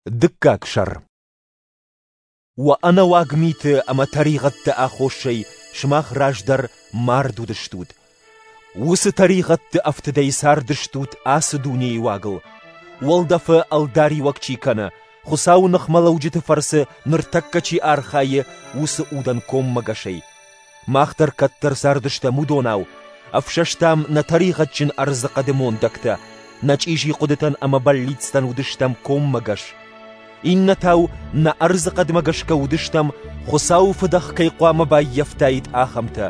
Дыккаг сӕр. Уӕ ӕнӕуаг миты ӕмӕ тӕригъӕдты аххосӕй сымах раздӕр мард уыдыстут. Уыцы тӕригъӕдты ӕфтыдӕй цардыстут ацы дунейы уагыл. Уӕлдӕфы ӕлдариуӕг чи кӕны, Хуыцауы ныхмӕлӕуджыты фӕрцы ныртӕккӕ чи архайы, уыцы удӕн коммӕгӕсӕй. Мах дӕр кӕддӕр цардыстӕм уыдонау, ӕфсӕстам нӕ тӕригъӕдджын ӕрдзыхъӕды мондӕгтӕ, нӕ чъизи хъуыдытӕн ӕмӕ бӕллицтӕн уыдыстӕм коммӕгӕс. Иннӕтау нӕ ӕрдзыхъӕдмӕ гӕсгӕ уыдыстӕм, Хуыцауы фыдӕх кӕй хъуамӕ баййӕфтаид, ахӕмтӕ.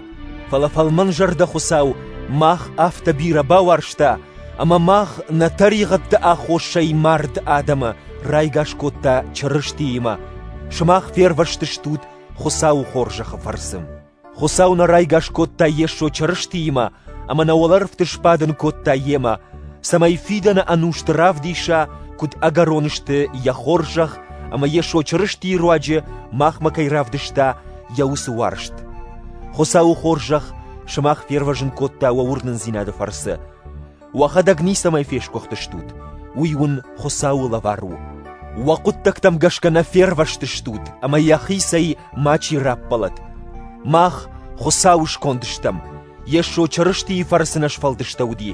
Фӕлӕ фӕлмӕнзӕрдӕ Хуыцау мах афтӕ бирӕ бауарзта, ӕмӕ мах нӕ тӕригъӕдты аххосӕй мард адӕмы райгас кодта Чырыстиимӕ. Сымах фервӕзтыстут Хуыцауы хорзӕхы фӕрцы. Хуыцау нӕ райгас кодта Йесо Чырыстиимӕ ӕмӕ нӕ уӕлӕрвты сбадын кодта Йемӕ, цӕмӕй фидӕны ӕнусты равдиса, куыд ӕгӕрон сты Йӕ хорзӕх ӕмӕ Йесо Чырыстийы руаджы махмӕ кӕй равдыста Йӕ уыцы уарзт. Хуыцауы хорзӕх сымах фервӕзын кодта уӕ уырнындзинады фӕрцы. Уӕхӕдӕг ницӕмӕй фесгуыхтыстут, уый уын Хуыцауы лӕвар у. Уӕ хъуыддӕгтӕм гӕсгӕ нӕ фервӕзтыстут ӕмӕ йӕхицӕй мачи раппӕлӕд. Мах Хуыцауы сконд стӕм, Йесо Чырыстийы фӕрцы нӕ сфӕлдыстӕуыди,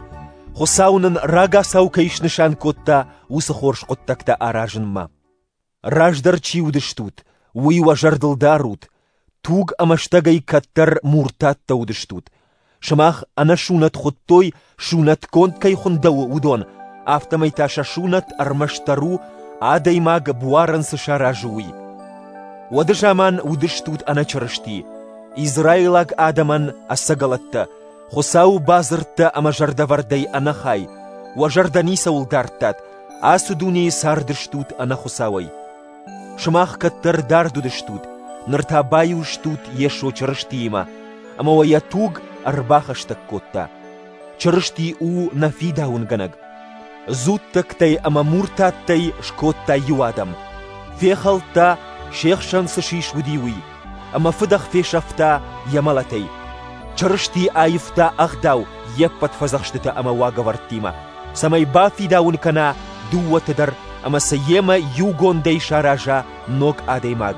Хуыцау нын рагацау кӕй снысан кодта, уыцы хорз хъуыддӕгтӕ аразынмӕ. Раздӕр чи уыдыстут, уый уӕ зӕрдыл дарут, туг ӕмӕ стӕгӕй кӕддӕр муртаттӕ уыдыстут. Сымах ӕнӕсунӕт хуыдтой, сунӕтгонд кӕй хуындӕуы, уыдон, афтӕмӕй та сӕ сунӕт ӕрмӕстдӕр у, адӕймаг буарӕн цы саразы, уый. Уӕды заман уыдыстут ӕнӕчырысти, израилаг адӕмӕн ӕцӕгӕлӕттӕ, Хуыцауы бадзырдтӕ ӕмӕ зӕрдӕвӕрдӕй ӕнӕхай, уӕ зӕрдӕ ницӕуыл дардтат, ацы дунейы цардыстут ӕнӕхуыцауӕй. Сымах кӕддӕр дард уыдыстут, ныр та баиу стут Йесо Чырыстиимӕ, ӕмӕ уӕ йӕ туг ӕрбахӕстӕг кодта. Чырысти у нӕ фидауынгӕнӕг. Дзуттӕгтӕй ӕмӕ муртаттӕй скодта иу адӕм. Фехӕлдта, се хсӕн цы сис уыди, уый, ӕмӕ фыдӕх фесӕфта йӕ мӕлӕтӕй. Чырысти аивта ӕгъдау йе ппӕт фӕдзӕхстытӕ ӕмӕ уагӕвӕрдтимӕ, цӕмӕй бафидауын кӕна дыууӕты дӕр ӕмӕ сӕ йемӕ иугондӕй сараза ног адӕймаг.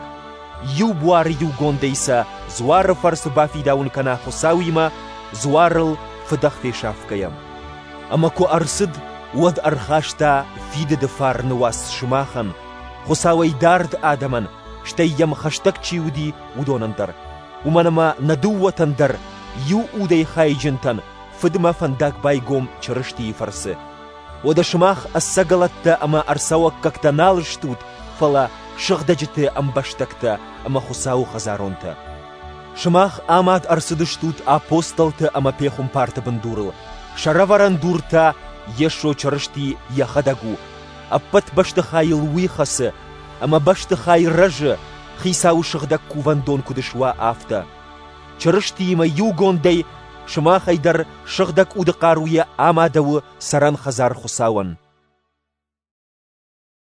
Иу буары иугондӕй сӕ дзуары фӕрцы бафидауын кӕна Хуыцауимӕ, дзуарыл фыдӕх фесафгӕйӕ. Ӕмӕ куы ӕрцыд, уӕд ӕрхаста фидыды фарны уац сымахӕн, Хуыцауӕй дард адӕмӕн, стӕй йӕм хӕстӕг чи уыди, уыдонӕн дӕр. Уымӕн ӕмӕ нӕ дыууӕтӕн дӕр, иу удӕй хайджынтӕн, Фыдмӕ фӕндаг байгом Чырыстийы фӕрцы. Уӕдӕ сымах ӕцӕгӕлӕттӕ ӕмӕ ӕрцӕуӕггӕгтӕ нал стут, фӕлӕ сыгъдӕджыты ӕмбӕстӕгтӕ ӕмӕ Хуыцауы хӕдзаронтӕ. Сымах амад ӕрцыдыстут апостолты ӕмӕ пехуымпарты бындурыл, сӕрӕвӕрӕн дур та Йесо Чырысти йӕхӕдӕг у, ӕппӕт бӕстыхайыл уый хӕцы, ӕмӕ бӕстыхай рӕзы, Хицауы сыгъдӕг кувӕндон куыд суа, афтӕ. Чырыстиимӕ иугондӕй сымахӕй дӕр Сыгъдӕг Уды хъаруйӕ амадӕуы цӕрӕн хӕдзар Хуыцауӕн.